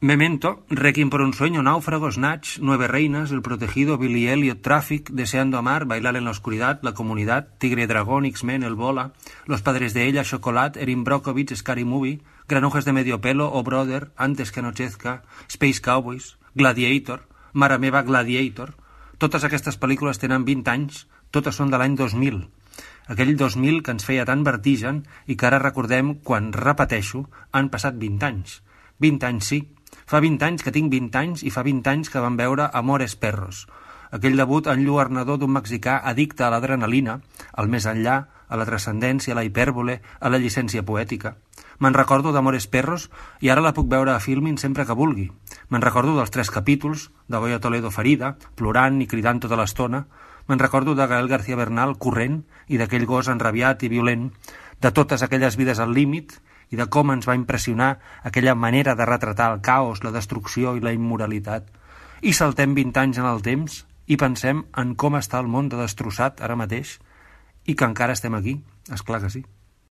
Memento, Requiem por un sueño, Náufrago, Snatch, Nueve reinas, El protegido, Billy Elliot, Traffic, Deseando amar, Bailar en la oscuridad, La comunidad, Tigre y dragón, X-Men, El bola, Los padres de ella, Chocolate, Erin Brockovich, Scary movie, Granujas de medio pelo, Oh brother, Antes que anochezca, Space Cowboys, Gladiator, Mare meva Gladiator. Totes aquestes pel·lícules tenen 20 anys, totes són de l'any 2000. Aquell 2000 que ens feia tan vertigen i que ara recordem quan, repeteixo, han passat 20 anys. 20 anys sí. Fa 20 anys que tinc 20 anys i fa 20 anys que vam veure Amores Perros, aquell debut enlluernador d'un mexicà addicte a l'adrenalina, al més enllà, a la transcendència, a la hipèrbole, a la llicència poètica. Me'n recordo d'Amores Perros i ara la puc veure a Filmin sempre que vulgui. Me'n recordo dels 3 capítols, de Goya Toledo ferida, plorant i cridant tota l'estona. Me'n recordo de Gael García Bernal corrent i d'aquell gos enrabiat i violent, de totes aquelles vides al límit i de com ens va impressionar aquella manera de retratar el caos, la destrucció i la immoralitat. I saltem 20 anys en el temps i pensem en com està el món de destrossat ara mateix i que encara estem aquí. Esclar que sí.